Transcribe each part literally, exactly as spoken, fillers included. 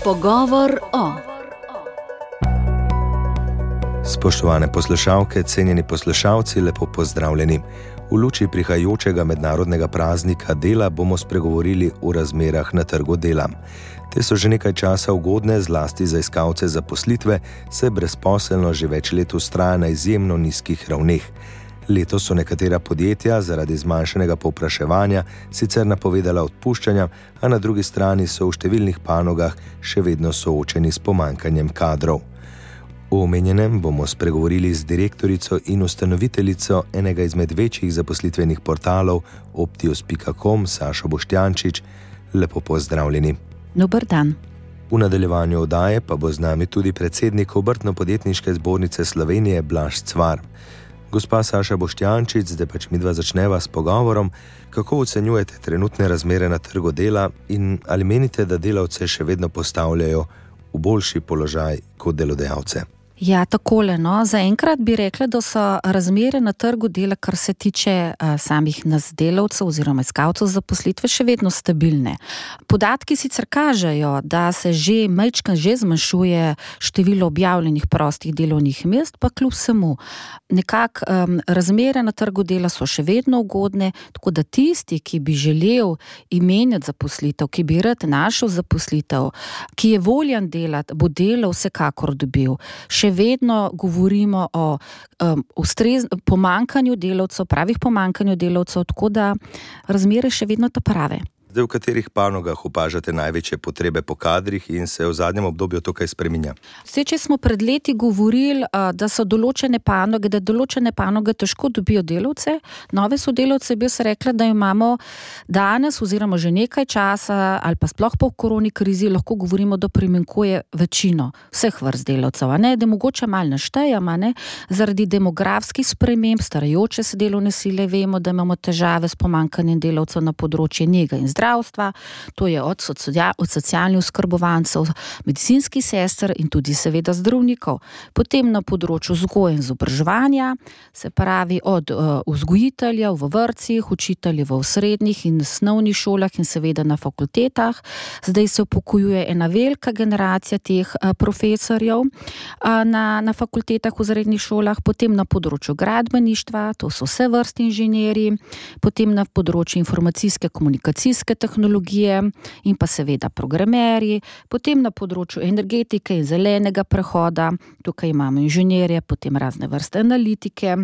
Pogovor o. Spoštovane poslušalke, cenjeni poslušalci, lepo pozdravljeni. V luči prihajajočega mednarodnega praznika dela bomo spregovorili o razmerah na trgu dela. Te so že nekaj časa ugodne, zlasti za iskalce zaposlitve, saj brezposelnost že več let vztraja na izjemno nizkih ravneh. Letos so nekatera podjetja zaradi zmanjšanega povpraševanja sicer napovedala odpuščanja, a na drugi strani so v številnih panogah še vedno soočeni s pomanjkanjem kadrov. O omenjenem bomo spregovorili z direktorico in ustanoviteljico enega izmed večjih zaposlitvenih portalov optius pika com, Sašo Boštjančič. Lepo pozdravljeni. Dober dan. V nadaljevanju oddaje pa bo z nami tudi predsednik Obrtno-podjetniške zbornice Slovenije Blaž Cvar. Gospa Saša Boštjančič, zdaj pač midva začneva s pogovorom. Kako ocenjujete trenutne razmere na trgu dela in ali menite, da delavce še vedno postavljajo v boljši položaj kot delodajalce? Ja, takole, no. Zaenkrat bi rekla, da so razmere na trgu dela, kar se tiče uh, samih nas delavcev oziroma iskalcev zaposlitve, še vedno stabilne. Podatki sicer kažejo, da se že majčkeno že zmanjšuje število objavljenih prostih delovnih mest, pa kljub vsemu. Nekako um, razmere na trgu dela so še vedno ugodne, tako da tisti, ki bi želel imenjati zaposlitev, ki bi rad našel zaposlitev, ki je voljan delati, bo delo vsekakor dobil. Še vedno govorimo o um, ustrez, pomanjkanju delavcev, pravih pomanjkanju delavcev, tako da razmere še vedno ta prave. Zdaj, v katerih panogah opažate največje potrebe po kadrih in se v zadnjem obdobju to kaj spreminja? Vse, če smo pred leti govorili, da so določene panoge, da določene panoge težko dobijo delavce, nove sodelavce, bi se rekla, da imamo danes oziroma že nekaj časa ali pa sploh po koroni krizi lahko govorimo, da primanjkuje večino vseh vrst delavcev, a ne, da mogoče malo naštejem, a ne, zaradi demografskih sprememb, starajoče se delovne sile, vemo, da imamo težave s pomanjkanjem delavcev na področju nege in zdravstva, to je od, socia- od socialnih oskrbovancev, medicinskih sester in tudi seveda zdravnikov. Potem na področju vzgoje in izobraževanja, se pravi od uh, vzgojiteljev v vrtcih, učiteljev v srednjih in osnovnih šolah in seveda na fakultetah. Zdaj se upokojuje ena velika generacija teh uh, profesorjev uh, na, na fakultetah v srednjih šolah, potem na področju gradbeništva, to so vse vrsti inženirji, potem na področju informacijske komunikacijske tehnologije in pa seveda programerji, potem na področju energetike in zelenega prehoda, tukaj imamo inženirje, potem razne vrste analitike.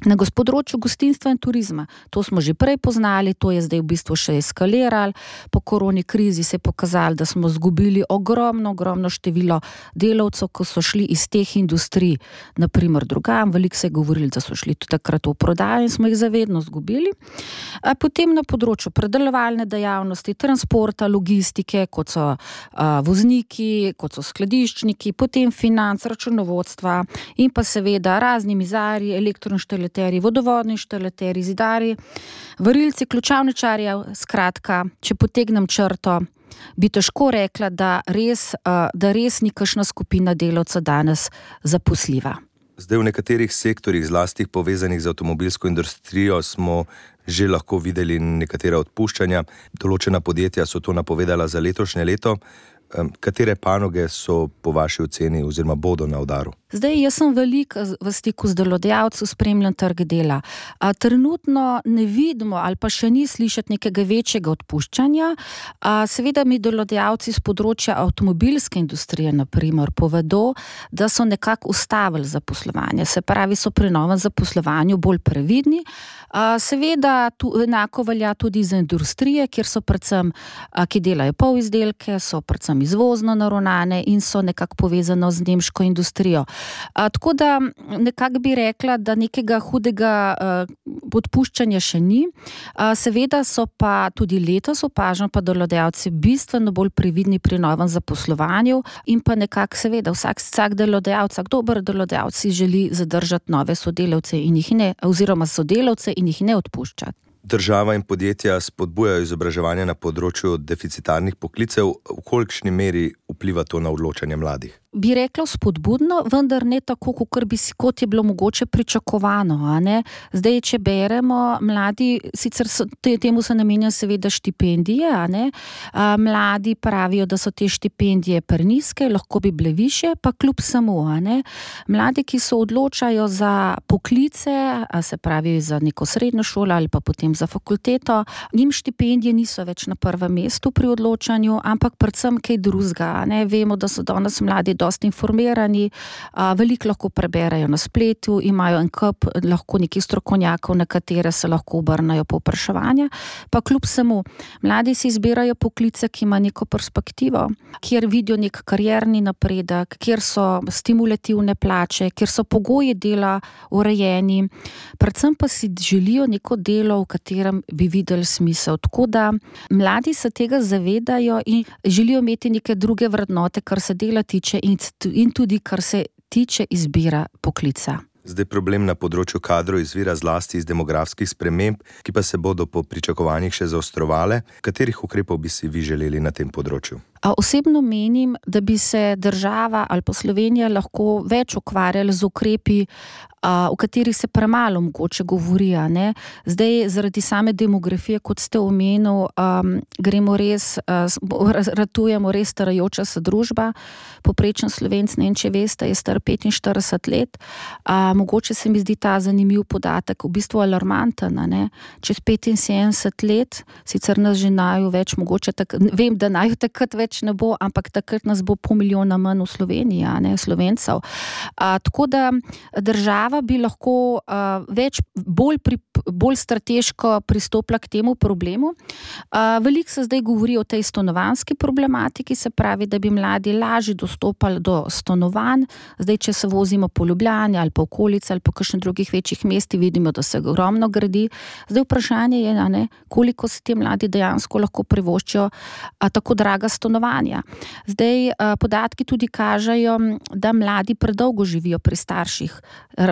Na področju gostinstva in turizma, to smo že prej poznali, to je zdaj v bistvu še eskaliralo. Po koroni krizi se je pokazalo, da smo zgubili ogromno, ogromno število delavcev, ko so šli iz teh industrij, naprimer drugam, veliko se je govorili, da so šli tudi takrat v prodajo in smo jih zavedno zgubili. A potem na področju predelovalne dejavnosti, transporta, logistike, kot so a, vozniki, kot so skladiščniki, potem financ, računovodstva in pa seveda razni mizarji, elektroinštalaterji, vodovodni inštalaterji, zidarji, varilci, ključavničarji, skratka, če potegnem črto, bi težko rekla, da res, da res ni kakšna skupina delavcev danes zaposljiva. Zdaj v nekaterih sektorjih, zlasti povezanih z avtomobilsko industrijo, smo že lahko videli nekatera odpuščanja. Določena podjetja so to napovedala za letošnje leto. Katere panoge so po vaši oceni oziroma bodo na udaru? Zdaj, jaz sem veliko v stiku z delodajalci, spremljam trg dela. A, trenutno ne vidimo ali pa še ni slišati nekega večjega odpuščanja. A, seveda mi delodajalci z področja avtomobilske industrije, na primer, povedo, da so nekako ustavili zaposlovanje. Se pravi, so pri novem zaposlovanju bolj previdni. A, seveda, tu, enako velja tudi za industrije, kjer so predvsem, a, ki delajo polizdelke, so predvsem izvozno naravnane in so nekako povezano z nemško industrijo. A, tako da nekako bi rekla, da nekega hudega a, odpuščanja še ni. A, seveda so pa tudi letos opažam, pa delodajalci bistveno bolj previdni pri novem zaposlovanju in pa nekako seveda vsak, vsak delodajalec, vsak dober delodajalec si želi zadržati nove sodelavce in jih ne, oziroma sodelavce in jih ne odpuščati. Država in podjetja spodbujajo izobraževanje na področju deficitarnih poklicev. V kolikšni meri vpliva to na odločanje mladih? bi rekla spodbudno, vendar ne tako, kot, bi, kot je bilo mogoče pričakovano. A ne? Zdaj, če beremo, mladi, sicer so, te, temu se namenja seveda štipendije, a ne? A, mladi pravijo, da so te štipendije prenizke, lahko bi bile višje, pa kljub samo. A ne? Mladi, ki se odločajo za poklice, a se pravi za neko srednjo šolo ali pa potem za fakulteto, njim štipendije niso več na prvem mestu pri odločanju, ampak predvsem kaj drugega. Ne? Vemo, da so danes mladi dosti informirani, a, veliko lahko preberejo na spletu, imajo en kup lahko nekih strokovnjakov, na katere se lahko obrnajo po vprašanja, pa kljub samo mladi si izbirajo poklice, ki ima neko perspektivo, kjer vidijo nek karierni napredek, kjer so stimulativne plače, kjer so pogoji dela urejeni, predvsem pa si želijo neko delo, v katerem bi videli smisel. Tako da mladi se tega zavedajo in želijo imeti neke druge vrednote, kar se dela tiče in, in tudi kar se tiče izbira poklica. Zdaj problem na področju kadrov izvira zlasti iz demografskih sprememb, ki pa se bodo po pričakovanjih še zaostrovale. Katerih ukrepov bi si vi želeli na tem področju? Osebno menim, da bi se država ali pa Slovenija lahko več ukvarjali z ukrepi, v katerih se premalo mogoče govori. Ne? Zdaj, zaradi same demografije, kot ste omenil, um, gremo res, uh, ratujemo res starajoča se družba. Poprečen Slovenc, ne vem, če veste, je star petinštirideset let. Uh, mogoče se mi zdi ta zanimiv podatek, v bistvu alarmanten. Ne? Čez petinsedemdeset let, sicer nas že naju več, mogoče tak, vem, da naju takrat več ne bo, ampak takrat nas bo pol milijona manj v Sloveniji, a ne, Slovencev. A, tako da država bi lahko a, več, bolj, pri, bolj strateško pristopila k temu problemu. A, veliko se zdaj govori o tej stanovanjski problematiki, se pravi, da bi mladi lažje dostopali do stanovanj. Zdaj, če se vozimo po Ljubljani ali po okolici ali po kakšnih drugih večjih mestih, vidimo, da se ogromno gradi. Zdaj vprašanje je, a ne, koliko se ti mladi dejansko lahko privoščijo a, tako draga stanovanja. Zdaj, podatki tudi kažejo, da mladi predolgo živijo pri starših.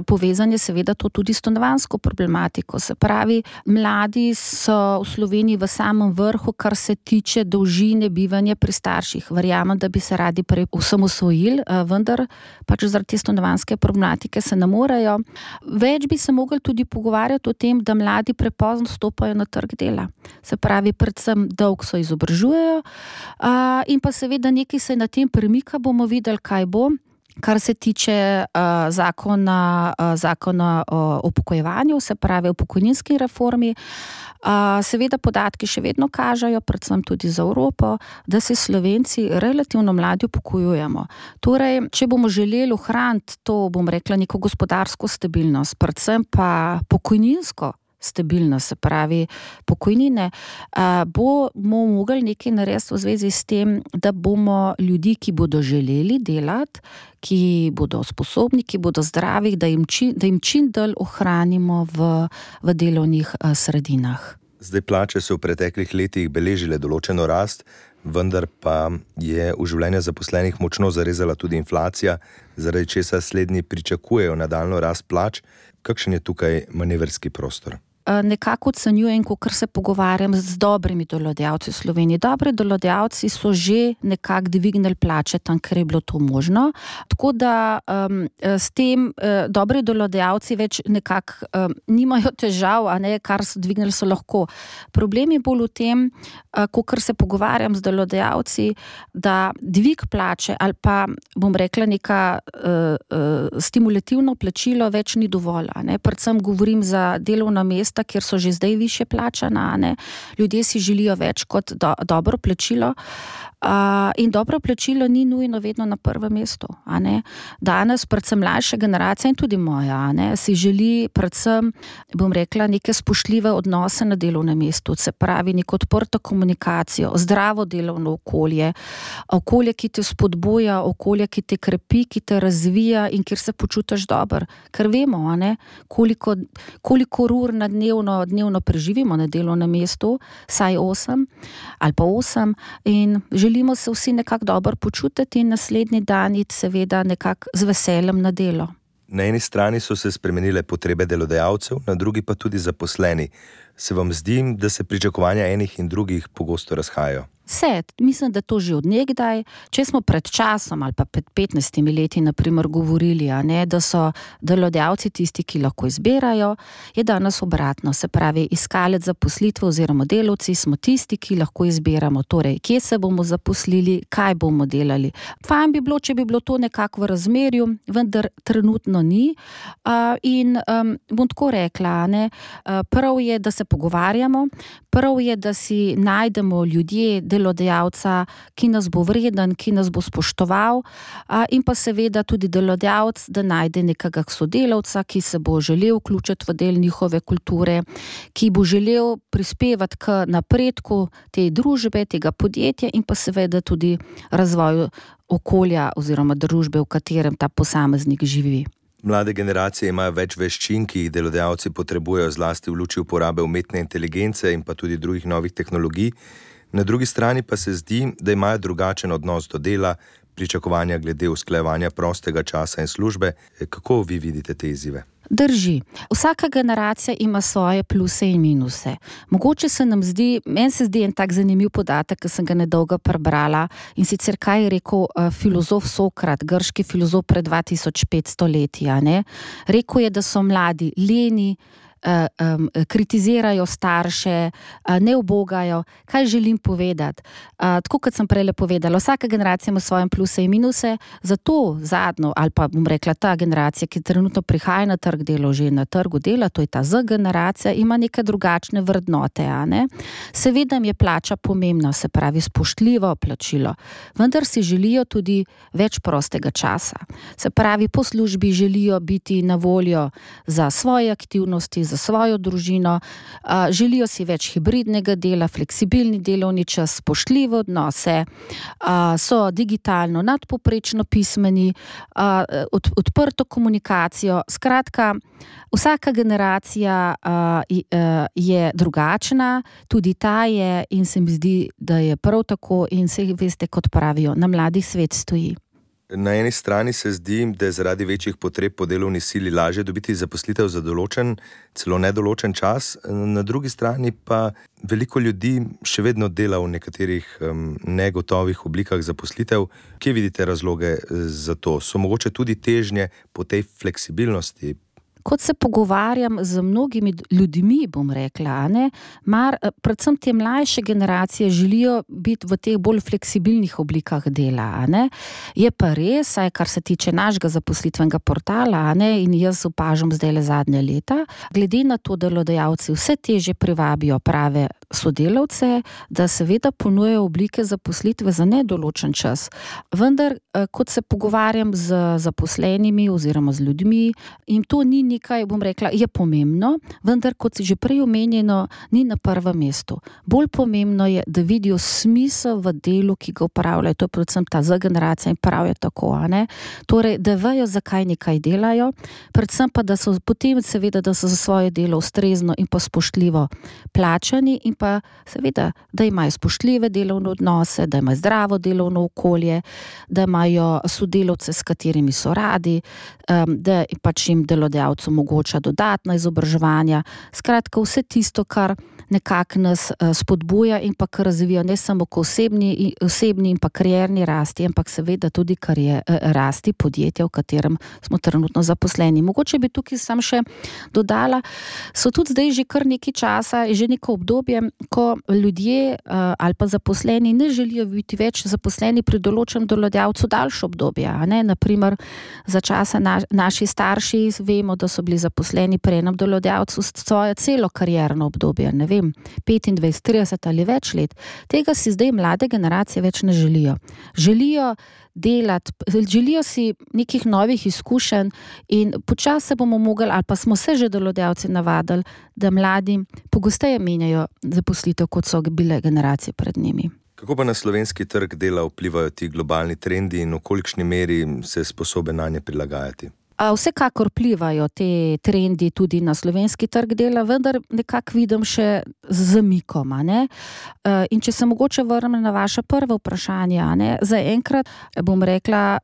Povezan je seveda to tudi s stanovanjsko problematiko. Se pravi, mladi so v Sloveniji v samem vrhu, kar se tiče dolžine bivanja pri starših. Verjamem, da bi se radi prej osamosvojili, vendar pač zaradi te stanovanjske problematike se ne morejo. Več bi se mogli tudi pogovarjati o tem, da mladi prepozno stopajo na trg dela. Se pravi, predvsem dolgo so izobražujejo, in pa seveda nekaj se na tem premika, bomo videli, kaj bo, kar se tiče uh, zakona, uh, zakona o upokojevanju, se pravi o pokojninski reformi. Uh, seveda podatki še vedno kažejo, predvsem tudi za Evropo, da se Slovenci relativno mladi upokojujemo. Torej, če bomo želeli ohraniti to, bom rekla, neko gospodarsko stabilnost, predvsem pa pokojninsko stabilnost, se pravi pokojnine, bomo mogli nekaj narediti v zvezi s tem, da bomo ljudi, ki bodo želeli delati, ki bodo sposobni, ki bodo zdravi, da jim čim, da jim čim dalj ohranimo v, v delovnih sredinah. Zdaj, plače so v preteklih letih beležile določeno rast, vendar pa je v življenje zaposlenih močno zarezala tudi inflacija, zaradi česa slednji pričakujejo nadaljnjo rast plač. Kakšen je tukaj manevrski prostor? Nekako ocenjujem, ko se pogovarjam z dobrimi delodajalci v Sloveniji. Dobri delodajalci so že nekako dvignili plače tam, ker je bilo to možno. Tako da um, s tem uh, dobri delodajalci več nekako um, nimajo težav, a ne, kar so dvignili, so lahko. Problem je bolj v tem, uh, ko se pogovarjam z delodajalci, da dvig plače ali pa, bom rekla, neka uh, uh, stimulativno plačilo več ni dovolj. A ne. Predvsem govorim za delovna mesta, kjer so že zdaj višje plačana, ne. Ljudje si želijo več kot do, dobro plačilo. Uh, in dobro plačilo ni nujno vedno na prvem mestu. A ne. Danes, predvsem mlajša generacija in tudi moja, a ne, si želi predvsem, bom rekla, neke spoštljive odnose na delovnem mestu, se pravi neko odprto komunikacijo, zdravo delovno okolje, okolje, ki te spodbuja, okolje, ki te krepi, ki te razvija in kjer se počutiš dobro. Ker vemo, a ne, koliko, koliko ur na dnevno, dnevno preživimo na delovnem mestu, saj osem ali pa osem, in želimo se vsi nekako dobro počutiti in naslednji dan iti seveda nekako z veseljem na delo. Na eni strani so se spremenile potrebe delodajalcev, na drugi pa tudi zaposleni. Se vam zdi, da se pričakovanja enih in drugih pogosto razhajajo? Vse, mislim, da to že od nekdaj. Če smo pred časom ali pa pred petnajstimi leti naprimer govorili, a ne, da so delodajalci tisti, ki lahko izbirajo, je danes obratno. Se pravi, iskalec zaposlitve oziroma delavci smo tisti, ki lahko izbiramo, torej, kje se bomo zaposlili, kaj bomo delali. Fajn bi bilo, če bi bilo to nekako v razmerju, vendar trenutno ni. Uh, in um, bom tako rekla, ne, uh, prav je, da se pogovarjamo, prav je, da si najdemo ljudje, delodajalca, ki nas bo vreden, ki nas bo spoštoval, a, in pa seveda tudi delodajalec, da najde nekega sodelavca, ki se bo želel vključiti v del njihove kulture, ki bo želel prispevati k napredku te družbe, tega podjetja in pa seveda tudi razvoju okolja oziroma družbe, v katerem ta posameznik živi. Mlade generacije imajo več veščin, ki jih delodajalci potrebujejo zlasti v luči uporabe umetne inteligence in pa tudi drugih novih tehnologij. Na drugi strani pa se zdi, da imajo drugačen odnos do dela, pričakovanja glede usklajevanja prostega časa in službe. Kako vi vidite te izzive? Drži. Vsaka generacija ima svoje pluse in minuse. Mogoče se nam zdi, meni se zdi en tak zanimiv podatek, ki sem ga nedolgo prebrala, in sicer kaj je rekel uh, filozof Sokrat, grški filozof pred dva tisoč petsto leti, a ne? Rekel je, da so mladi leni, Uh, um, kritizirajo starše, uh, ne ubogajo. Kaj želim povedati? Uh, tako kot sem prej povedala, vsaka generacija ima svoje pluse in minuse, zato zadnjo, ali pa bom rekla ta generacija, ki trenutno prihaja na trg dela, že na trgu dela, to je ta Z generacija, ima neke drugačne vrednote, a ne? Seveda mi je plača pomembna, se pravi spoštljivo plačilo, vendar si želijo tudi več prostega časa. Se pravi, po službi želijo biti na voljo za svoje aktivnosti, za svojo družino, uh, želijo si več hibridnega dela, fleksibilni delovni čas, spoštljive odnose, uh, so digitalno nadpovprečno pismeni, uh, od, odprto komunikacijo. Skratka, vsaka generacija uh, je drugačna, tudi ta je, in se mi zdi, da je prav tako, in se veste, kot pravijo, na mladih svet stoji. Na eni strani se zdi, da je zaradi večjih potreb po delovni sili lažje dobiti zaposlitev za določen, celo nedoločen čas, na drugi strani pa veliko ljudi še vedno dela v nekaterih um, negotovih oblikah zaposlitev. Kje vidite razloge za to? So mogoče tudi težnje po tej fleksibilnosti? Kot se pogovarjam z mnogimi ljudmi, bom rekla, ne, mar, predvsem te mlajše generacije želijo biti v teh bolj fleksibilnih oblikah dela, ne. Je pa res, saj kar se tiče našega zaposlitvenega portala, ne, in jaz opažam zdaj le zadnje leta, glede na to, da delodajalci vse težje privabijo prave sodelavce, da seveda ponujajo oblike zaposlitve za nedoločen čas. Vendar, kot se pogovarjam z zaposlenimi oziroma z ljudmi, in to ni nekaj, bom rekla, je pomembno, vendar, kot si že prej omenjeno, ni na prvem mestu. Bolj pomembno je, da vidijo smisel v delu, ki ga upravljajo. To je predvsem ta Z generacija in pravijo tako, a ne? Torej, da vejo, zakaj nekaj delajo, predvsem pa, da so potem seveda, da so za svoje delo ustrezno in pa spoštljivo plačani in pa seveda, da imajo spoštljive delovne odnose, da imajo zdravo delovno okolje, da imajo sodelavce, s katerimi so radi, da pač jim delodajalec omogoča dodatna izobraževanja. Skratka, vse tisto, kar nekako nas spodbuja in pa kar razvija ne samo k osebni, osebni in pa karierni rasti, ampak seveda tudi karier, rasti podjetja, v katerem smo trenutno zaposleni. Mogoče bi tukaj sam še dodala, so tudi zdaj že kar nekaj časa, že neko obdobje, ko ljudje ali pa zaposleni ne želijo biti več zaposleni pri določenem delodajalcu daljše obdobje, a ne, naprimer za časa na, naši starši vemo, da so bili zaposleni pri enem delodajalcu svoje celo karierno obdobje, ne vem, petindvajset, trideset ali več let. Tega si zdaj mlade generacije več ne želijo. Želijo delati, želijo si nekih novih izkušenj in počasi se bomo mogli, ali pa smo se že delodajalci navadili, da mladi pogosteje menjajo zaposlitev, kot so bile generacije pred njimi. Kako pa na slovenski trg dela vplivajo ti globalni trendi in v kolikšni meri se je sposoben nanje prilagajati? Vsekakor plivajo te trendi tudi na slovenski trg dela, vendar nekako vidim še z zamikoma, ne. In če se mogoče vrnem na vaše prvo vprašanje, ne, zaenkrat bom rekla,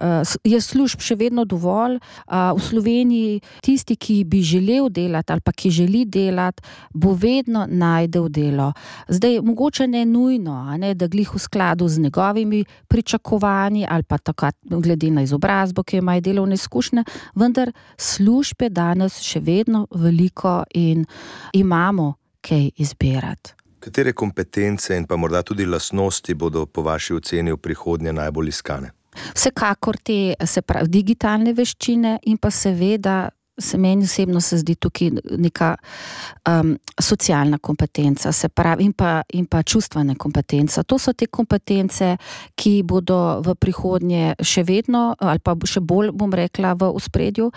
je služb še vedno dovolj. V Sloveniji tisti, ki bi želel delati ali pa ki želi delati, bo vedno najdel delo. Zdaj, mogoče ne nujno, a ne, da glih v skladu z njegovimi pričakovanji ali pa tako glede na izobrazbo, ki imajo delovne izkušnje, vendar službe danes še vedno veliko in imamo kaj izbirati. Katere kompetence in pa morda tudi lastnosti bodo po vaši oceni v prihodnje najbolj iskane? Vsekakor te, se pravi, digitalne veščine in pa seveda se meni osebno se zdi tukaj neka um, socialna kompetenca, se pravi, in pa, in pa čustvene kompetence. To so te kompetence, ki bodo v prihodnje še vedno, ali pa še bolj, bom rekla, v ospredju.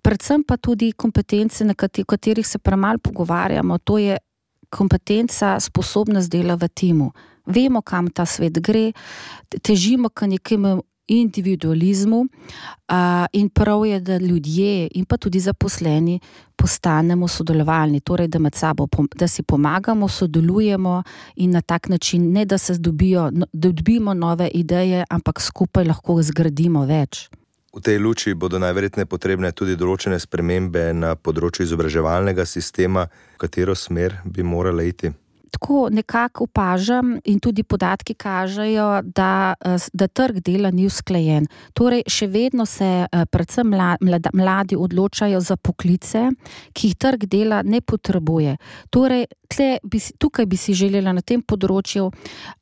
Predvsem pa tudi kompetence, na katerih se premalo pogovarjamo, to je kompetenca, sposobnost dela v timu. Vemo, kam ta svet gre, težimo k nekemu individualizmu uh, in prav je, da ljudje in pa tudi zaposleni postanemo sodelovalni, torej da med sabo, da si pomagamo, sodelujemo in na tak način, ne da se dobijo, da dobimo nove ideje, ampak skupaj lahko zgradimo več. V tej luči bodo najverjetneje potrebne tudi določene spremembe na področju izobraževalnega sistema, v katero smer bi morala iti? Tako nekako opažam in tudi podatki kažejo, da, da trg dela ni usklajen. Torej, še vedno se predvsem mladi, mladi odločajo za poklice, ki jih trg dela ne potrebuje. Torej, tle bi, tukaj bi si želela na tem področju,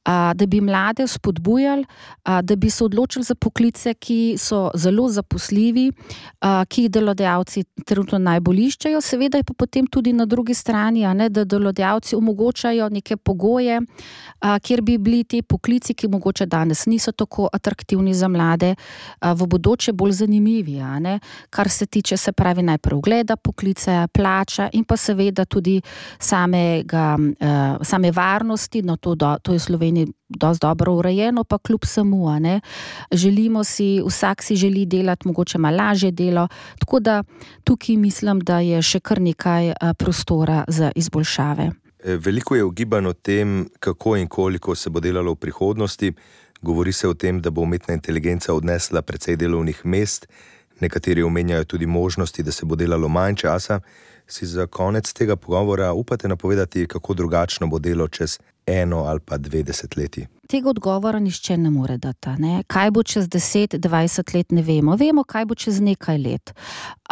a, da bi mlade spodbujali, a, da bi se odločili za poklice, ki so zelo zaposljivi, a, ki jih delodajalci trenutno najbolj iščejo. Seveda je pa potem tudi na drugi strani, a ne, da delodajalci omogočajo neke pogoje, a, kjer bi bili ti poklici, ki mogoče danes niso tako atraktivni za mlade, a, v bodoče bolj zanimivi, a ne, kar se tiče, se pravi, najprej ogleda poklice, plača in pa seveda tudi samega, a, same varnosti, no to, do, to je v Sloveniji dosti dobro urejeno, pa kljub samo, a ne, želimo si, vsak si želi delati mogoče malo lažje delo, tako da tukaj mislim, da je še kar nekaj prostora za izboljšave. Veliko je ugibanj o tem, kako in koliko se bo delalo v prihodnosti. Govori se o tem, da bo umetna inteligenca odnesla precej delovnih mest. Nekateri omenjajo tudi možnosti, da se bo delalo manj časa. Si za konec tega pogovora upate napovedati, kako drugačno bo delo čez eno ali pa dve desetletji? Tega odgovora nišče ne more dati, ne. Kaj bo čez deset, dvajset let, ne vemo. Vemo, kaj bo čez nekaj let.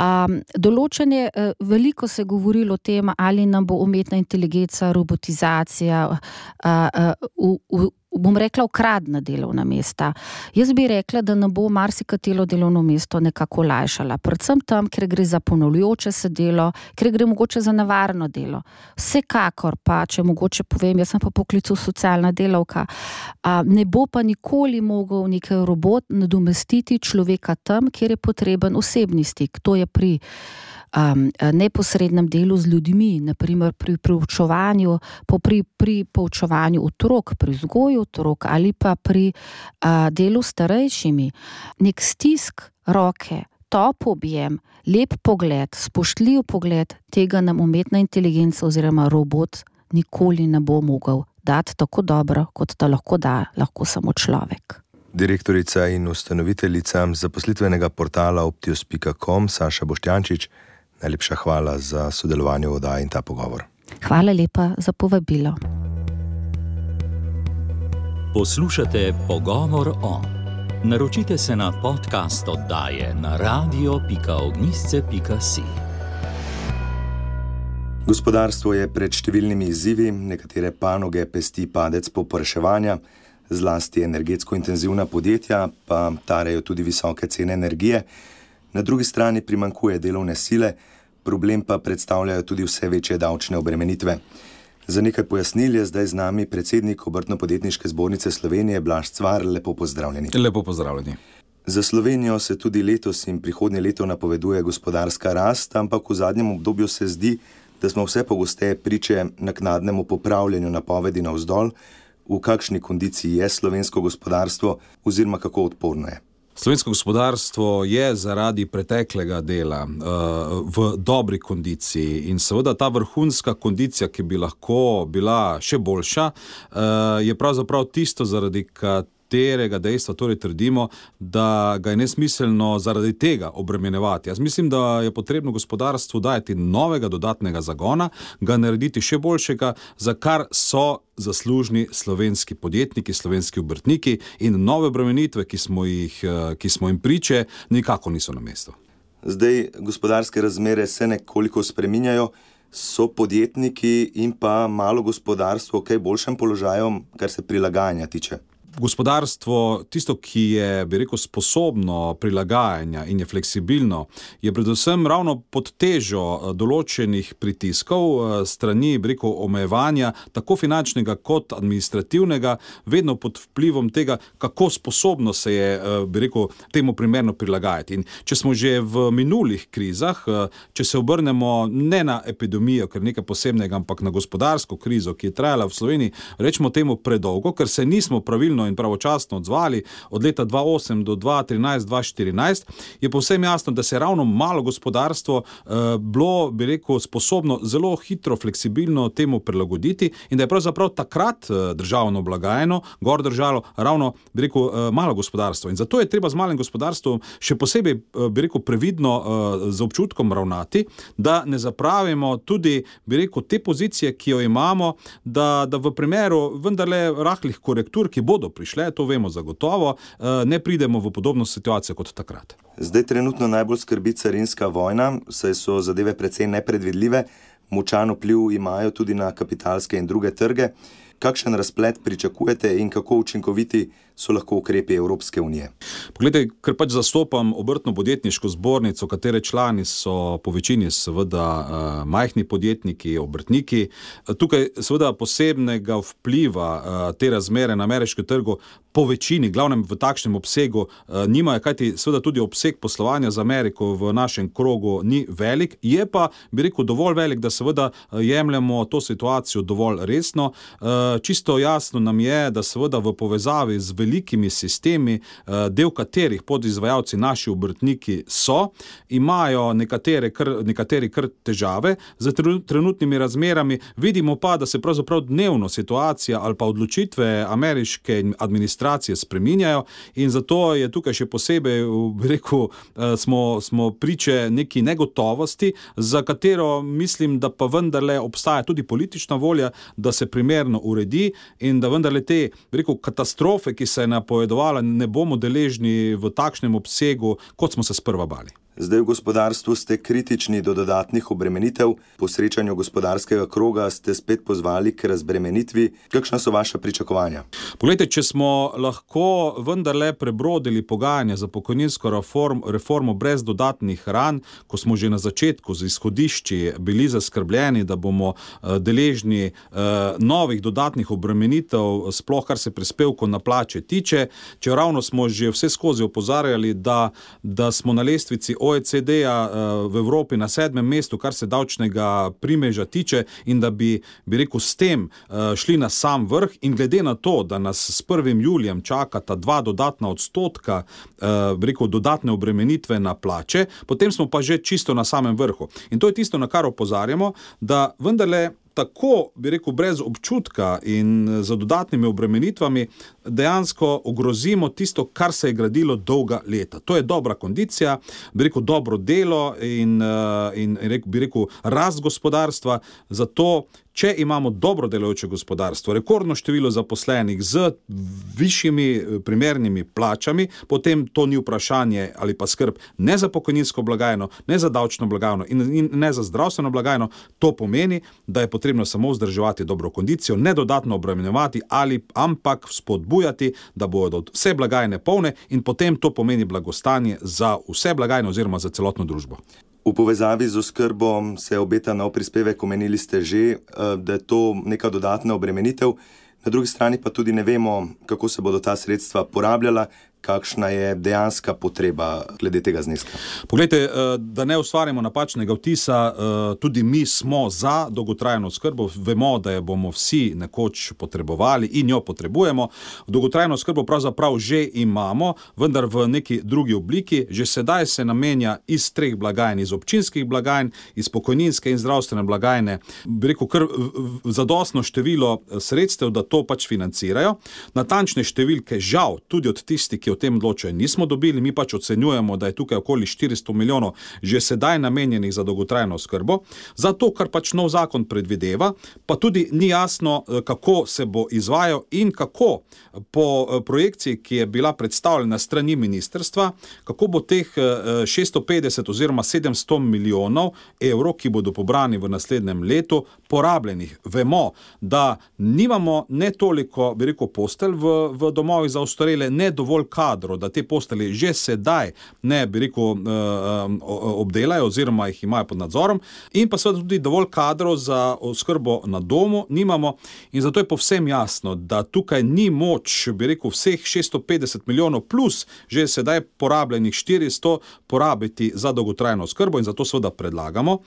Um, določene, veliko se je govorilo o tem, ali nam bo umetna inteligenca, robotizacija, uh, uh, v, v, bom rekla, ukradna delovna mesta. Jaz bi rekla, da nam bo marsikatero delovno mesto nekako olajšala. Predvsem tam, ker gre za ponavljajoče se delo, ker gre mogoče za nevarno delo. Vsekakor pa, če mogoče povem, jaz sem pa poklicu socialna delavka, a, ne bo pa nikoli mogel neki robot nadomestiti človeka tam, kjer je potreben osebni stik. To je pri Um, neposrednem delu z ljudmi, naprimer pri poučevanju, pri, pri poučevanju otrok, pri vzgoju otrok ali pa pri uh, delu s starejšimi. Nek stisk roke, top objem, lep pogled, spoštljiv pogled, tega nam umetna inteligenca oziroma robot nikoli ne bo mogel dati tako dobro, kot da lahko da, lahko samo človek. Direktorica in ustanoviteljica zaposlitvenega portala optius pika com Saša Boštjančič, najlepša hvala za sodelovanje v oddaji in ta pogovor. Hvala lepa za povabilo. Poslušate Pogovor o. Naročite se na podcast oddaje na radio pika ognjišče pika si. Gospodarstvo je pred številnimi izzivi, nekatere panoge pesti padec povpraševanja, zlasti energetsko intenzivna podjetja, pa tarejo tudi visoke cene energije. Na drugi strani primanjkuje delovne sile, problem pa predstavljajo tudi vse večje davčne obremenitve. Za nekaj pojasnil je zdaj z nami predsednik Obrtno-podjetniške zbornice Slovenije Blaž Cvar. Lepo pozdravljeni. Lepo pozdravljeni. Za Slovenijo se tudi letos in prihodnje leto napoveduje gospodarska rast, ampak v zadnjem obdobju se zdi, da smo vse pogosteje priče naknadnemu popravljanju napovedi navzdol. V kakšni kondiciji je slovensko gospodarstvo oziroma kako odporno je? Slovensko gospodarstvo je zaradi preteklega dela uh, v dobri kondiciji in seveda ta vrhunska kondicija, ki bi lahko bila še boljša, uh, je pravzaprav tisto, zaradi katerega dejstva torej trdimo, da ga je nesmiselno zaradi tega obremenjevati. Jaz mislim, da je potrebno gospodarstvu dajati novega dodatnega zagona, ga narediti še boljšega, za kar so zaslužni slovenski podjetniki, slovenski obrtniki, in nove obremenitve, ki smo jih, ki smo jim priče, nikako niso na mestu. Zdaj gospodarske razmere se nekoliko spreminjajo, so podjetniki in pa malo gospodarstvo v kaj boljšem položaju, kar se prilagajanja tiče? Gospodarstvo, tisto, ki je, bi rekel, sposobno prilagajanja in je fleksibilno, je predvsem ravno pod težo določenih pritiskov strani, bi rekel, omejevanja, tako finančnega kot administrativnega, vedno pod vplivom tega, kako sposobno se je, bi rekel, temu primerno prilagajati. In če smo že v minulih krizah, če se obrnemo ne na epidemijo, ker nekaj posebnega, ampak na gospodarsko krizo, ki je trajala v Sloveniji, rečemo temu predolgo, ker se nismo pravilno in pravočasno odzvali od leta dva tisoč osem do dva tisoč trinajst dva tisoč štirinajst, je povsem jasno, da se je ravno malo gospodarstvo eh, bilo, bi rekel, sposobno zelo hitro, fleksibilno temu prilagoditi in da je pravzaprav takrat eh, državno blagajno gor držalo ravno, bi rekel, eh, malo gospodarstvo. In zato je treba z malim gospodarstvom še posebej, eh, bi rekel, previdno eh, z občutkom ravnati, da ne zapravimo tudi, bi rekel, te pozicije, ki jo imamo, da, da v primeru vendarle rahlih korektur, ki bodo prišle, to vemo zagotovo, ne pridemo v podobno situacijo kot takrat. Zdaj trenutno najbolj skrbi carinska vojna, saj so zadeve precej nepredvidljive, močan vpliv imajo tudi na kapitalske in druge trge. Kakšen razplet pričakujete in kako učinkoviti so lahko ukrepi Evropske unije? Poglejte, ker pač zastopam obrtno-podjetniško zbornico, katere člani so po večini seveda uh, majhni podjetniki, obrtniki. Tukaj seveda posebnega vpliva uh, te razmere na ameriškem trgu po večini, glavnem v takšnem obsegu, uh, nimajo, kajti seveda tudi obseg poslovanja z Ameriko v našem krogu ni velik, je pa, bi rekel, dovolj velik, da seveda jemljemo to situacijo dovolj resno. Uh, čisto jasno nam je, da seveda v povezavi z velikimi sistemi, del katerih podizvajalci naši obrtniki so, imajo nekatere kar, nekateri kar težave z trenutnimi razmerami. Vidimo pa, da se pravzaprav dnevno situacija ali pa odločitve ameriške administracije spreminjajo in zato je tukaj še posebej, bi rekel, smo, smo priče neki negotovosti, za katero mislim, da pa vendarle obstaja tudi politična volja, da se primerno uredi in da vendarle te, bi rekel, katastrofe, ki se je napovedovala, ne bomo deležni v takšnem obsegu, kot smo se sprva bali. Zdaj v gospodarstvu ste kritični do dodatnih obremenitev. Po srečanju gospodarskega kroga ste spet pozvali k razbremenitvi. Kakšna so vaša pričakovanja? Poglejte, če smo lahko vendarle prebrodili pogajanja za pokojninsko reform, reformo brez dodatnih ran, ko smo že na začetku z izhodišči bili zaskrbljeni, da bomo uh, deležni uh, novih dodatnih obremenitev, sploh kar se prispevkov na plače tiče, če ravno smo že vse skozi opozarjali, da, da smo na lestvici O E C D-ja v Evropi na sedmem mestu, kar se davčnega primeža tiče in da bi, bi rekel, s tem šli na sam vrh in glede na to, da nas s prvim julijem čakata dva dodatna odstotka, bi rekel, dodatne obremenitve na plače, potem smo pa že čisto na samem vrhu. In to je tisto, na kar opozarjamo, da vendarle tako, bi rekel, brez občutka in z dodatnimi obremenitvami dejansko ogrozimo tisto, kar se je gradilo dolga leta. To je dobra kondicija, bi rekel, dobro delo in, in bi rekel, rast gospodarstva. Zato, če imamo dobro delujoče gospodarstvo, rekordno število zaposlenih z višjimi primernimi plačami, potem to ni vprašanje ali pa skrb ne za pokojninsko blagajno, ne za davčno blagajno in, in ne za zdravstveno blagajno. To pomeni, da je potrebno samo vzdrževati dobro kondicijo, ne dodatno obremenjevati ali ampak spodbujati, da bodo vse blagajne polne in potem to pomeni blagostanje za vse blagajne oziroma za celotno družbo. V povezavi z oskrbo se obeta nov prispevek, omenili ste že, da je to neka dodatna obremenitev. Na drugi strani pa tudi ne vemo, kako se bodo ta sredstva porabljala, kakšna je dejanska potreba glede tega zneska? Poglejte, da ne ustvarjamo napačnega vtisa, tudi mi smo za dolgotrajno oskrbo, vemo, da jo bomo vsi nekoč potrebovali in jo potrebujemo. Dolgotrajno oskrbo pravzaprav že imamo, vendar v neki drugi obliki. Že sedaj se namenja iz treh blagajn, iz občinskih blagajn, iz pokojninske in zdravstvene blagajne, bi rekel, kar zadostno število sredstev, da to pač financirajo. Natančne številke žal tudi od tistih, ki o tem odločajo, nismo dobili. Mi pač ocenjujemo, da je tukaj okoli štiristo milijonov že sedaj namenjenih za dolgotrajno oskrbo. Zato, kar pač nov zakon predvideva, pa tudi ni jasno, kako se bo izvajal in kako po projekciji, ki je bila predstavljena strani ministrstva, kako bo teh šeststo petdeset oziroma sedemsto milijonov evrov, ki bodo pobrani v naslednjem letu, porabljenih. Vemo, da nimamo ne toliko, bi rekel, postelj v, v domovih za ostarele, ne dovolj kadrov, da te postelje že sedaj ne, bi rekel, obdelajo oziroma jih imajo pod nadzorom, in pa seveda tudi dovolj kadrov za oskrbo na domu nimamo, in zato je povsem jasno, da tukaj ni moč, bi rekel, vseh šeststo petdeset milijonov plus že sedaj porabljenih štiristo porabiti za dolgotrajno oskrbo, in zato seveda predlagamo,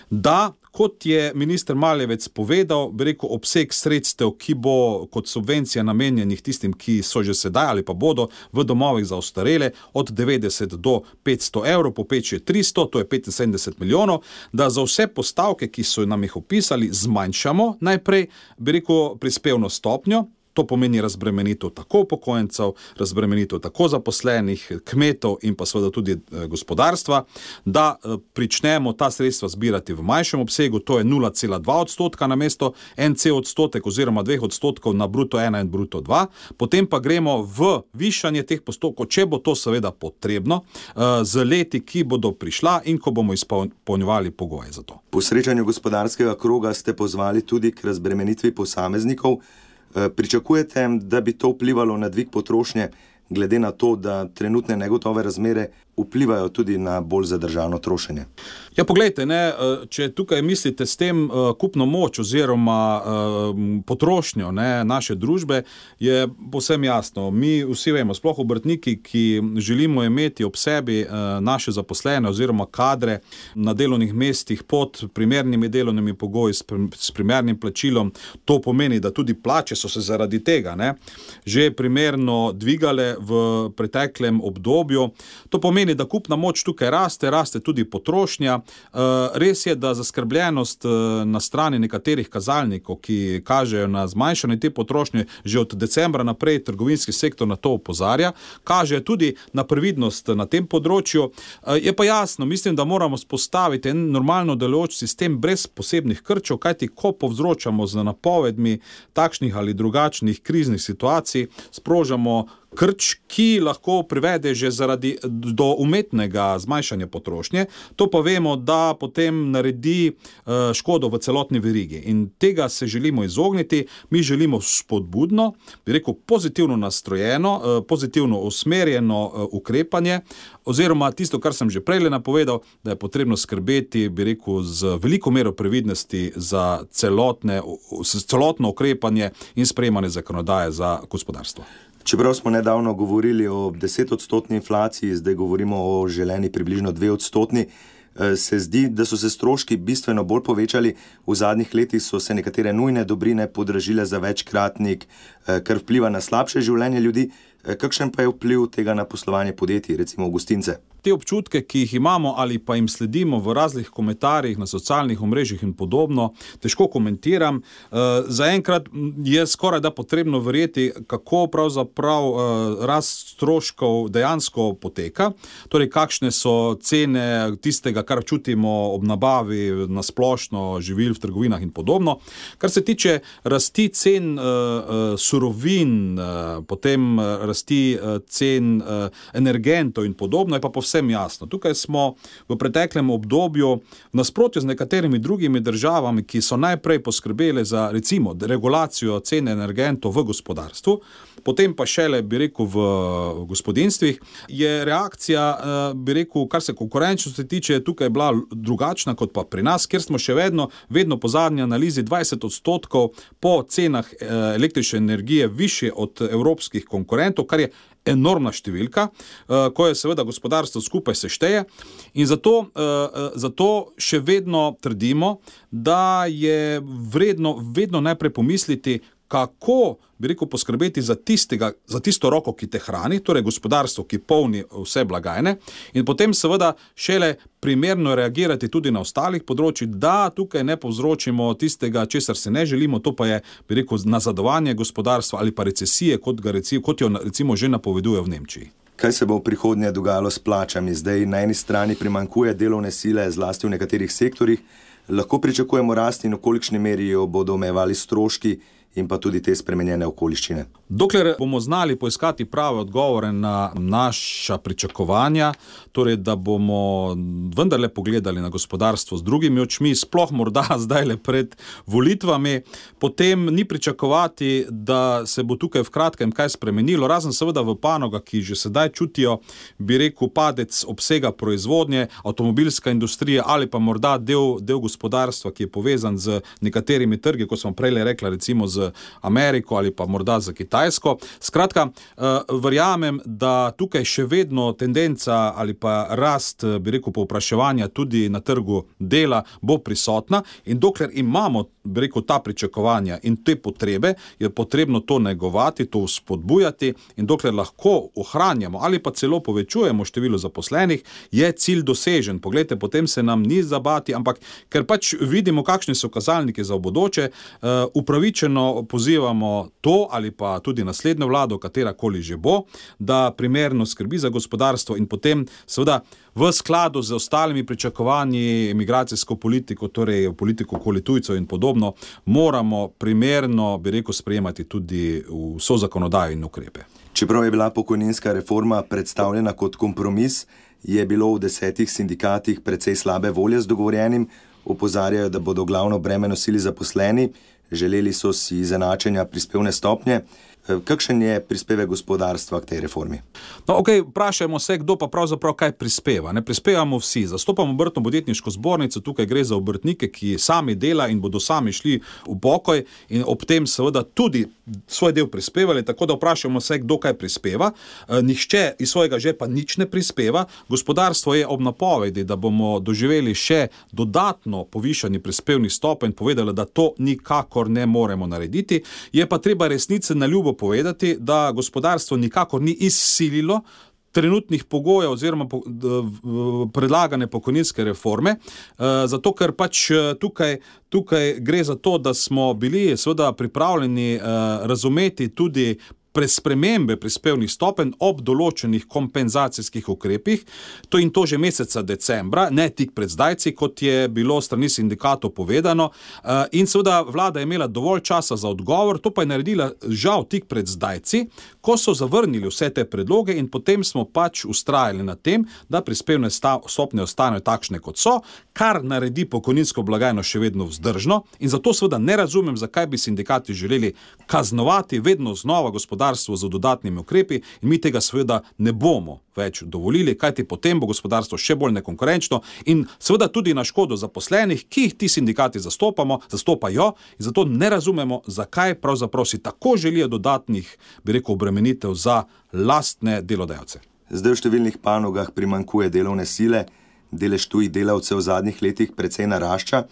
da, kot je minister Maljevac povedal, bi rekel, obseg sredstev, ki bo kot subvencija namenjenih tistim, ki so že sedaj ali pa bodo v domovih za ostarele, od devetdeset do petsto evrov, povprečje tristo, to je petinsedemdeset milijonov, da za vse postavke, ki so nam jih opisali, zmanjšamo najprej, bi rekel, prispevno stopnjo. To pomeni razbremenitev tako upokojencev, razbremenitev tako zaposlenih, kmetov in pa seveda tudi gospodarstva, da pričnemo ta sredstva zbirati v manjšem obsegu, to je nula cela dva odstotka na mesto en cel odstotek oziroma dveh odstotkov na bruto ena in bruto dva, potem pa gremo v višanje teh postopkov, če bo to seveda potrebno, z leti, ki bodo prišla in ko bomo izpolnjevali pogoje za to. Po srečanju gospodarskega kroga ste pozvali tudi k razbremenitvi posameznikov. Pričakujete, da bi to vplivalo na dvig potrošnje, glede na to, da trenutne negotove razmere vplivajo tudi na bolj zadržano trošenje? Ja, poglejte, ne, če tukaj mislite s tem kupno moč oziroma potrošnjo, ne, naše družbe, je povsem jasno. Mi vsi vemo, sploh obrtniki, ki želimo imeti ob sebi naše zaposlene oziroma kadre na delovnih mestih pod primernimi delovnimi pogoji, s primernim plačilom, to pomeni, da tudi plače so se zaradi tega, ne, že primerno dvigale v preteklem obdobju. To pomeni, da kupna moč tukaj raste, raste tudi potrošnja. Res je, da zaskrbljenost na strani nekaterih kazalnikov, ki kažejo na zmanjšanje te potrošnje, že od decembra naprej trgovinski sektor na to opozarja, kaže tudi na previdnost na tem področju. Je pa jasno, mislim, da moramo spostaviti en normalno delujoč sistem brez posebnih krčev, kajti ko povzročamo z napovedmi takšnih ali drugačnih kriznih situacij, sprožamo krč, ki lahko privede že zaradi do umetnega zmanjšanja potrošnje, to pa vemo, da potem naredi škodo v celotni verigi. In tega se želimo izogniti. Mi želimo spodbudno, bi rekel, pozitivno nastrojeno, pozitivno usmerjeno ukrepanje, oziroma tisto, kar sem že prej napovedal, da je potrebno skrbeti, bi rekel, z veliko mero previdnosti za celotne, celotno ukrepanje in sprejemanje zakonodaje za gospodarstvo. Čeprav smo nedavno govorili o desetodstotni inflaciji, zdaj govorimo o želeni približno dve odstotni, se zdi, da so se stroški bistveno bolj povečali. V zadnjih letih so se nekatere nujne dobrine podražile za večkratnik, kar vpliva na slabše življenje ljudi. Kakšen pa je vpliv tega na poslovanje podjetij, recimo gostince? Te občutke, ki jih imamo ali pa jim sledimo v raznih komentarjih na socialnih omrežjih in podobno, težko komentiram. Zaenkrat je skoraj da potrebno verjeti, kako pravzaprav rast stroškov dejansko poteka, torej kakšne so cene tistega, kar čutimo ob nabavi na splošno živil v trgovinah in podobno. Kar se tiče rasti cen surovin, potem rasti cen energentov in podobno, je pa povsem Vsem jasno. Tukaj smo v preteklem obdobju v nasprotju z nekaterimi drugimi državami, ki so najprej poskrbele za, recimo, regulacijo cene energentov v gospodarstvu, potem pa šele, bi rekel, v gospodinstvih, je reakcija, bi rekel, kar se konkurenčnosti tiče, tukaj bila drugačna kot pa pri nas, kjer smo še vedno, vedno po zadnji analizi dvajset odstotkov po cenah električne energije više od evropskih konkurentov, kar je enormna številka, ko je seveda gospodarstvo skupaj sešteje in zato, zato še vedno trdimo, da je vredno vedno najprej pomisliti, kako, bi rekel, poskrbeti za tistega, za tisto roko, ki te hrani, torej gospodarstvo, ki polni vse blagajne in potem seveda šele primerno reagirati tudi na ostalih področjih, da tukaj ne povzročimo tistega, česar se ne želimo, to pa je, bi rekel, nazadovanje gospodarstva ali pa recesije, kot, ga reci, kot jo recimo že napoveduje v Nemčiji. Kaj se bo v prihodnje dogajalo s plačami? Zdaj na eni strani primanjkuje delovne sile, zlasti v nekaterih sektorjih. Lahko pričakujemo rast in v kolikšni meri jo bodo omejevali stroški in pa tudi te spremenjene okoliščine? Dokler bomo znali poiskati prave odgovore na naša pričakovanja, torej da bomo vendarle pogledali na gospodarstvo z drugimi očmi, sploh morda zdajle pred volitvami, potem ni pričakovati, da se bo tukaj v kratkem kaj spremenilo, razen seveda v panogah, ki že sedaj čutijo, bi rekel, padec obsega proizvodnje, avtomobilska industrija ali pa morda del, del gospodarstva, ki je povezan z nekaterimi trgi, kot smo prej rekla, recimo z Ameriko ali pa morda za Kitajsko. Skratka, verjamem, da tukaj še vedno tendenca ali pa rast, bi rekel, povpraševanja tudi na trgu dela bo prisotna in dokler imamo, bi rekel, ta pričakovanja in te potrebe, je potrebno to negovati, to spodbujati in dokler lahko ohranjamo ali pa celo povečujemo število zaposlenih, je cilj dosežen. Poglejte, potem se nam ni zabati, ampak ker pač vidimo, kakšni so kazalniki za v bodoče, upravičeno pozivamo to ali pa tudi naslednjo vlado, katerakoli že bo, da primerno skrbi za gospodarstvo in potem seveda v skladu z ostalimi pričakovanji migracijsko politiko, torej politiko okoli tujcev in podobno, moramo primerno, bi rekel, sprejemati tudi vso zakonodajo in ukrepe. Čeprav je bila pokojninska reforma predstavljena kot kompromis, je bilo v desetih sindikatih precej slabe volje z dogovorjenim, opozarjajo, da bodo glavno breme nosili zaposleni, želeli so si izenačenja prispevne stopnje. Kakšen je prispevek gospodarstva k tej reformi? No, ok, vprašajmo se, kdo pa pravzaprav kaj prispeva. Ne prispevamo vsi. Zastopamo Obrtno-podjetniško zbornico, tukaj gre za obrtnike, ki sami dela in bodo sami šli v pokoj in ob tem seveda tudi svoj del prispevali, tako da vprašajmo se, kdo kaj prispeva. Nihče iz svojega žepa nič ne prispeva. Gospodarstvo je ob napovedi, da bomo doživeli še dodatno povišanje prispevnih stopenj, povedali, da to nikakor ne moremo narediti. Je pa treba resnice na ljubo povedati, da gospodarstvo nikakor ni izsililo trenutnih pogojev oziroma predlagane pokojninske reforme, zato ker pač tukaj, tukaj gre za to, da smo bili seveda pripravljeni razumeti tudi spremembe prispevnih stopenj ob določenih kompenzacijskih ukrepih, to in to že meseca decembra, ne tik pred zdajci, kot je bilo strani sindikatov povedano, in seveda vlada je imela dovolj časa za odgovor, to pa je naredila žal tik pred zdajci, ko so zavrnili vse te predloge in potem smo pač ustrajali na tem, da prispevne stopnje ostanejo takšne, kot so, kar naredi pokojninsko blagajno še vedno vzdržno in zato seveda ne razumem, zakaj bi sindikati želeli kaznovati vedno znova gospodarstvo z dodatnimi ukrepi in mi tega seveda ne bomo več dovolili, kajti potem bo gospodarstvo še bolj nekonkurenčno in seveda tudi na škodo zaposlenih, ki jih ti sindikati zastopamo, zastopajo in zato ne razumemo, zakaj pravzaprav si tako želijo dodatnih, bi rekel, obremenitev za lastne delodajalce. Zdaj v številnih panogah primanjkuje delovne sile, delež tujih delavcev v zadnjih letih precej narašča.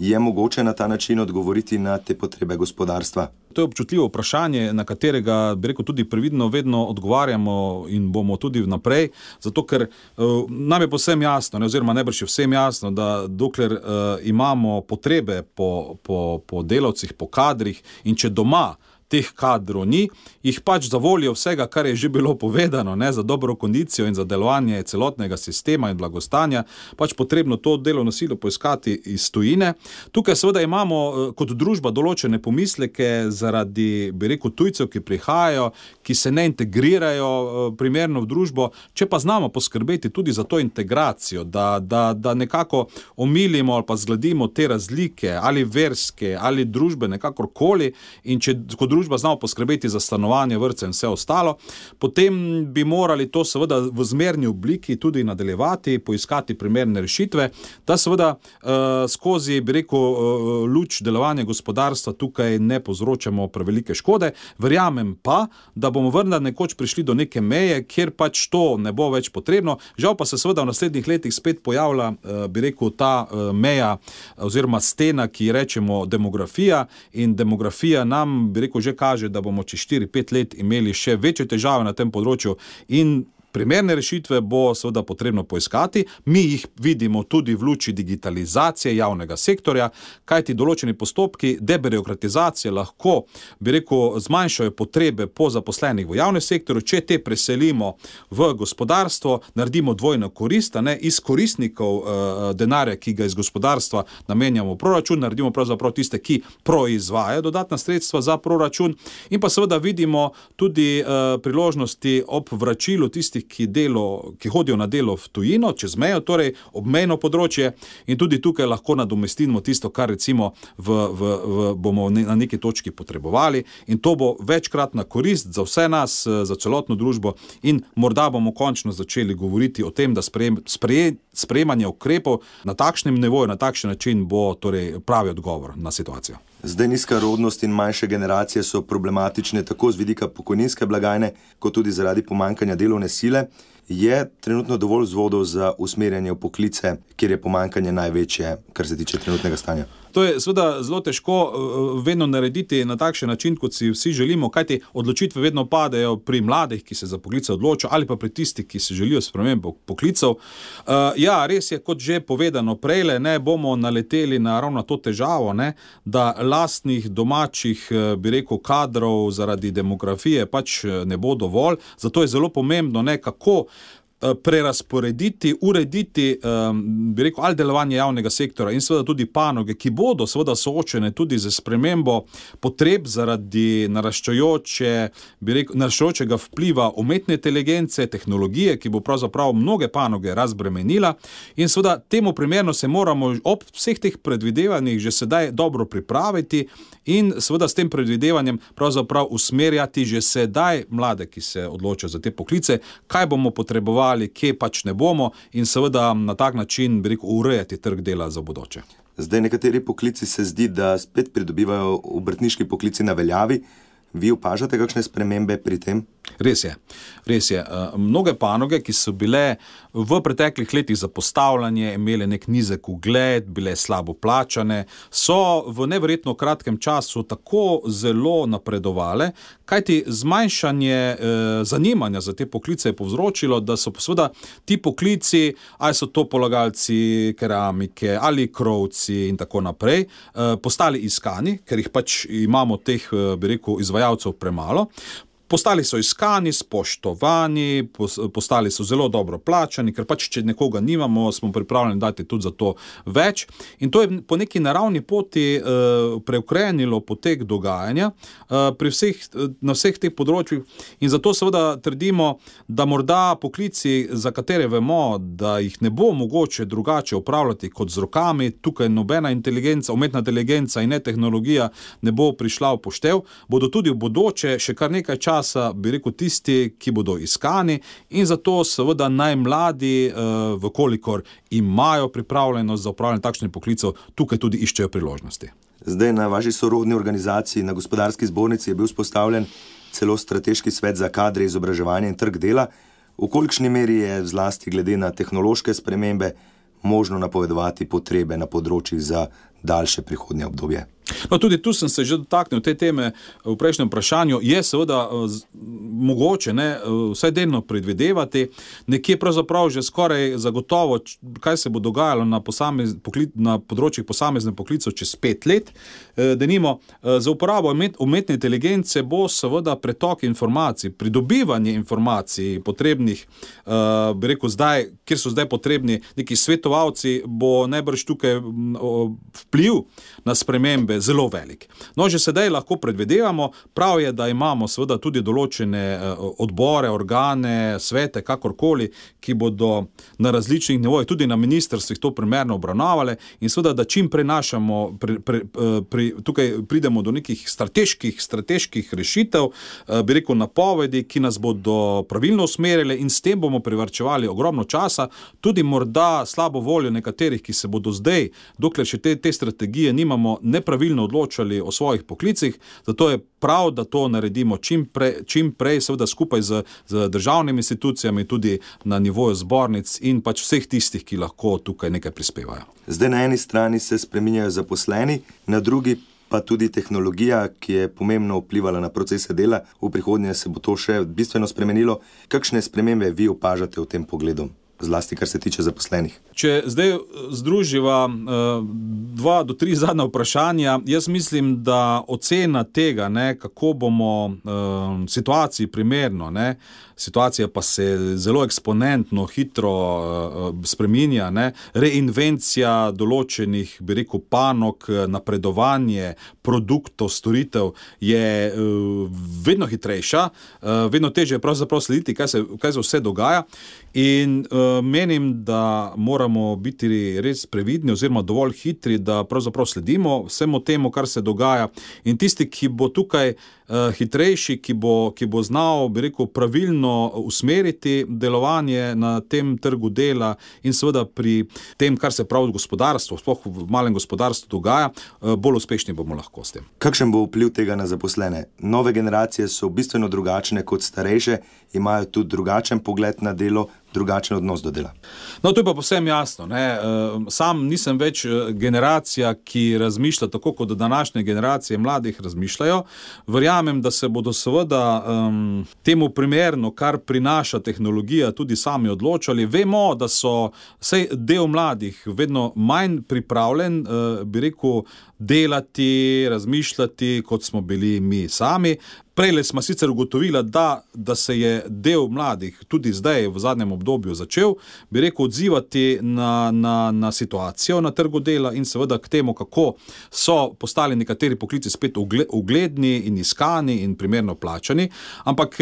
Je mogoče na ta način odgovoriti na te potrebe gospodarstva? To je občutljivo vprašanje, na katerega, bi rekel, tudi previdno vedno odgovarjamo in bomo tudi vnaprej, zato ker uh, nam je povsem jasno, ne, oziroma najbrž je vsem jasno, da dokler uh, imamo potrebe po, po, po delavcih, po kadrih in če doma teh kadrov ni, jih pač za voljo vsega, kar je že bilo povedano, ne, za dobro kondicijo in za delovanje celotnega sistema in blagostanja, pač potrebno to delovno silo poiskati iz tujine. Tukaj seveda imamo kot družba določene pomisleke zaradi, bi rekel, tujcev, ki prihajajo, ki se ne integrirajo primerno v družbo, če pa znamo poskrbeti tudi za to integracijo, da, da, da nekako omilimo ali pa zgladimo te razlike, ali verske, ali družbene, kakorkoli, in če kot družba družba znamo poskrbeti za stanovanje, vrtce in vse ostalo, potem bi morali to seveda v zmerni obliki tudi nadaljevati, poiskati primerne rešitve, da seveda uh, skozi, bi rekel, uh, luč delovanja gospodarstva tukaj ne povzročamo prevelike škode. Verjamem pa, da bomo vendar nekoč prišli do neke meje, kjer pač to ne bo več potrebno. Žal pa se seveda v naslednjih letih spet pojavlja, uh, bi rekel, ta uh, meja oziroma stena, ki rečemo demografija, in demografija nam, bi rekel, že kaže, da bomo čez štiri pet let imeli še večje težave na tem področju in primerne rešitve bo seveda potrebno poiskati. Mi jih vidimo tudi v luči digitalizacije javnega sektorja, kajti določeni postopki debirokratizacije lahko, bi rekel, zmanjšajo potrebe po zaposlenih v javnem sektorju, če te preselimo v gospodarstvo, naredimo dvojno korist, ne, iz koristnikov uh, denarja, ki ga iz gospodarstva namenjamo v proračun, naredimo pravzaprav tiste, ki proizvajajo dodatna sredstva za proračun, in pa seveda vidimo tudi uh, priložnosti ob vračilu tistih, Ki, delo, ki hodijo na delo v tujino, čez mejo, torej obmejno področje, in tudi tukaj lahko nadomestimo tisto, kar recimo v, v, v, bomo na neki točki potrebovali, in to bo večkratna korist za vse nas, za celotno družbo, in morda bomo končno začeli govoriti o tem, da sprejem, spreje, sprejemanje ukrepov na takšnem nivoju, na takšen način bo torej pravi odgovor na situacijo. Zdaj nizka rodnost in manjše generacije so problematične tako z vidika pokojninske blagajne, kot tudi zaradi pomanjkanja delovne sile. Je trenutno dovolj vzvodov za usmerjanje v poklice, kjer je pomanjkanje največje, kar se tiče trenutnega stanja? To je seveda zelo težko vedno narediti na takšen način, kot si vsi želimo, kajti odločitve vedno padejo pri mladih, ki se za poklice odločajo, ali pa pri tistih, ki se želijo spremembe poklicev. Uh, ja, res je, kot že povedano prejle, ne bomo naleteli na ravno to težavo, ne, da lastnih domačih, bi rekel, kadrov zaradi demografije pač ne bo dovolj. Zato je zelo pomembno, ne, kako prerasporediti, urediti, bi rekel, ali delovanje javnega sektora in seveda tudi panoge, ki bodo seveda soočene tudi z spremembo potreb zaradi naraščajoče, bi rekel, naraščajočega vpliva umetne inteligence, tehnologije, ki bo pravzaprav mnoge panoge razbremenila, in seveda temu primerno se moramo ob vseh teh predvidevanjih že sedaj dobro pripraviti in seveda s tem predvidevanjem pravzaprav usmerjati že sedaj mlade, ki se odločajo za te poklice, kaj bomo potrebovali, kje pač ne bomo, in seveda na tak način, bi rekel, urejati trg dela za bodoče. Zdaj nekateri poklici se zdi, da spet pridobivajo obrtniški poklici na veljavi. Vi opažate kakšne spremembe pri tem? Res je, res je. Mnoge panoge, ki so bile v preteklih letih zapostavljanje, imele nek nizek ugled, bile slabo plačane, so v neverjetno kratkem času tako zelo napredovale, kajti zmanjšanje eh, zanimanja za te poklice je povzročilo, da so seveda ti poklici, ali so to polagalci keramike ali krovci in tako naprej, eh, postali iskani, ker jih pač imamo teh, eh, bi rekel, izvajalcev premalo. Postali so iskani, spoštovani, postali so zelo dobro plačani, ker pač, če nekoga nimamo, smo pripravljeni dati tudi za to več. In to je po neki naravni poti uh, preukrenilo potek dogajanja uh, pri vseh, na vseh teh področjih. In zato seveda trdimo, da morda poklici, za katere vemo, da jih ne bo mogoče drugače upravljati kot z rokami, tukaj nobena inteligenca, umetna inteligenca in ne tehnologija ne bo prišla v poštev, bodo tudi v bodoče še kar nekaj časa, bi rekel, tisti, ki bodo iskani, in zato seveda najmladi, vkolikor imajo pripravljenost za upravljanje takšnih poklicev, tukaj tudi iščejo priložnosti. Zdaj na vaši sorodni organizaciji, na Gospodarski zbornici, je bil vzpostavljen celo strateški svet za kadre, izobraževanje in trg dela. V kolikšni meri je zlasti glede na tehnološke spremembe možno napovedovati potrebe na področjih za daljše prihodnje obdobje? No, tudi tu sem se že dotaknil te teme v prejšnjem vprašanju. Je seveda z, mogoče ne, vsaj delno predvidevati, nekje pravzaprav že skoraj zagotovo, kaj se bo dogajalo na, posamez, pokli, na področjih posamezne poklicov čez pet let. Denimo, za uporabo umetne inteligence bo seveda pretok informacij, pridobivanje informacij potrebnih, bi rekel, zdaj, kjer so zdaj potrebni neki svetovalci, bo najbrž tukaj vpliv na spremembe zelo velik. No, že sedaj lahko predvidevamo, prav je, da imamo seveda tudi določene odbore, organe, svete, kakorkoli, ki bodo na različnih nivojih, tudi na ministrstvih to primerno obravnavale in seveda, da čim prenašamo, pri, pri, pri, tukaj pridemo do nekih strateških, strateških rešitev, bi rekel napovedi, ki nas bodo pravilno usmerile in s tem bomo privarčevali ogromno časa, tudi morda slabo voljo nekaterih, ki se bodo zdaj, dokler še te, te strategije nimamo, nepravilno odločali o svojih poklicih, zato je prav, da to naredimo čim, pre, čim prej, seveda skupaj z, z državnimi institucijami, tudi na nivoju zbornic in pač vseh tistih, ki lahko tukaj nekaj prispevajo. Zdaj na eni strani se spreminjajo zaposleni, na drugi pa tudi tehnologija, ki je pomembno vplivala na procese dela. V prihodnje se bo to še bistveno spremenilo. Kakšne spremembe vi opažate v tem pogledu? Zlasti, kar se tiče zaposlenih. Če zdaj združiva uh, dva do tri zadnja vprašanja, jaz mislim, da ocena tega, ne, kako bomo uh, situaciji primerno, ne, situacija pa se zelo eksponentno, hitro uh, spreminja, ne, reinvencija določenih, bi rekel, panog, napredovanje produktov, storitev je uh, vedno hitrejša, uh, vedno težje je pravzaprav slediti, kaj se, kaj se vse dogaja in uh, menim, da moramo biti res previdni oziroma dovolj hitri, da pravzaprav sledimo vsemu temu, kar se dogaja in tisti, ki bo tukaj uh, hitrejši, ki bo, ki bo znal, bi rekel, pravilno usmeriti delovanje na tem trgu dela in seveda pri tem, kar se pravi gospodarstvo, sploh v malem gospodarstvu dogaja, uh, bolj uspešni bomo lahko s tem. Kakšen bo vpliv tega na zaposlene? Nove generacije so bistveno drugačne kot starejše, imajo tudi drugačen pogled na delo, drugačen odnos do dela. No, to je pa povsem jasno, ne. Sam nisem več generacija, ki razmišlja tako, kot današnje generacije mladih razmišljajo. Verjamem, da se bodo seveda um, temu primerno, kar prinaša tehnologija, tudi sami odločali. Vemo, da so vsaj del mladih vedno manj pripravljen, uh, bi rekel, delati, razmišljati, kot smo bili mi sami. Prejle smo sicer ugotovila, da, da se je del mladih tudi zdaj v zadnjem obdobju začel, bi rekel, odzivati na, na, na situacijo na trgu dela in seveda k temu, kako so postali nekateri poklici spet ugledni in iskani in primerno plačani, ampak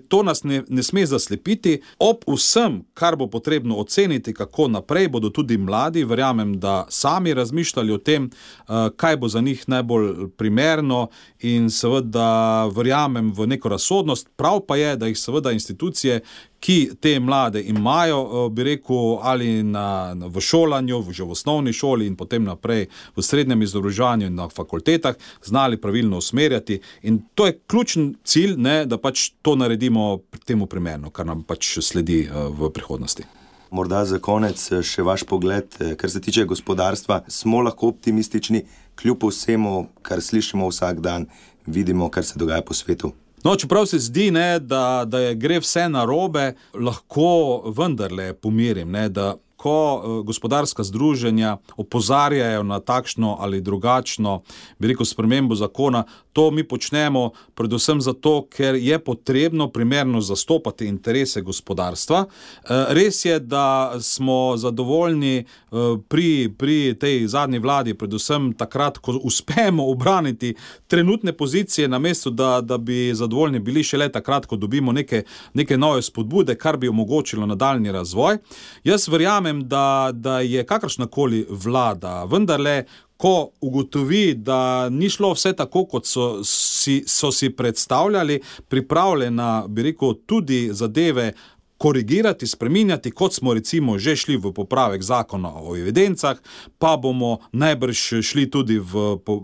to nas ne, ne sme zaslepiti. Ob vsem, kar bo potrebno oceniti, kako naprej, bodo tudi mladi, verjamem, da sami razmišljali o tem, kaj bo za njih najbolj primerno in seveda verjamem v neko razsodnost. Prav pa je, da jih seveda institucije, ki te mlade imajo, bi rekel, ali na, v šolanju, že v osnovni šoli in potem naprej v srednjem izobraževanju in na fakultetah, znali pravilno usmerjati. In to je ključen cilj, ne, da pač to naredimo temu primerno, kar nam pač sledi v prihodnosti. Morda za konec še vaš pogled, kar se tiče gospodarstva. Smo lahko optimistični, kljub vsemu, kar slišimo vsak dan, vidimo, kar se dogaja po svetu? No, čeprav se zdi, ne, da, da je gre vse narobe, lahko vendarle pomirim, ne, da ko gospodarska združenja opozarjajo na takšno ali drugačno, bi rekel, spremembo zakona, to mi počnemo predvsem zato, ker je potrebno primerno zastopati interese gospodarstva. Res je, da smo zadovoljni pri, pri tej zadnji vladi, predvsem takrat, ko uspemo obraniti trenutne pozicije, namesto da, da bi zadovoljni bili šele takrat, ko dobimo neke, neke nove spodbude, kar bi omogočilo nadaljnji razvoj. Jaz verjamem, Da, da je kakršnakoli vlada, vendarle, ko ugotovi, da ni šlo vse tako, kot so si, so si predstavljali, pripravljena, bi rekel, tudi zadeve korigirati, spreminjati, kot smo recimo že šli v popravek zakona o evidencah, pa bomo najbrž šli tudi v, v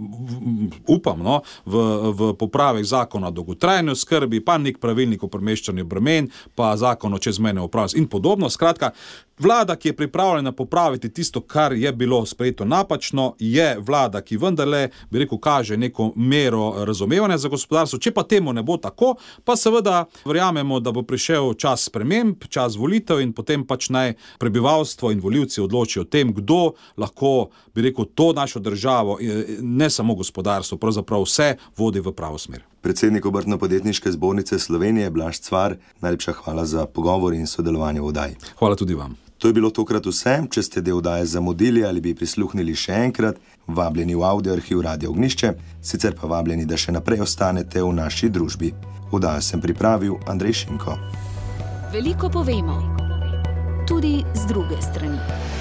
upam, no, v, v popravek zakona o dolgotrajni oskrbi, pa nek pravilnik o premeščanju bremen, pa zakon o čezmejnem upravljanju in podobno. Skratka, vlada, ki je pripravljena popraviti tisto, kar je bilo sprejeto napačno, je vlada, ki vendarle, bi rekel, kaže neko mero razumevanja za gospodarstvo. Če pa temu ne bo tako, pa seveda verjamemo, da bo prišel čas sprememb, čas volitev in potem pač naj prebivalstvo in volivci odločijo o tem, kdo lahko, bi rekel, to našo državo, ne samo gospodarstvo, pravzaprav vse vodi v pravo smer. Predsednik Obrtno-podjetniške zbornice Slovenije, Blaž Cvar, najlepša hvala za pogovor in sodelovanje v oddaji. Hvala tudi vam. To je bilo tokrat vse. Če ste del oddaje zamudili ali bi prisluhnili še enkrat, vabljeni v audio arhiv Radio Ognjišče, sicer pa vabljeni, da še naprej ostanete v naši družbi. Oddajo sem pripravil Andrej Šinko. Veliko povemo, tudi z druge strani.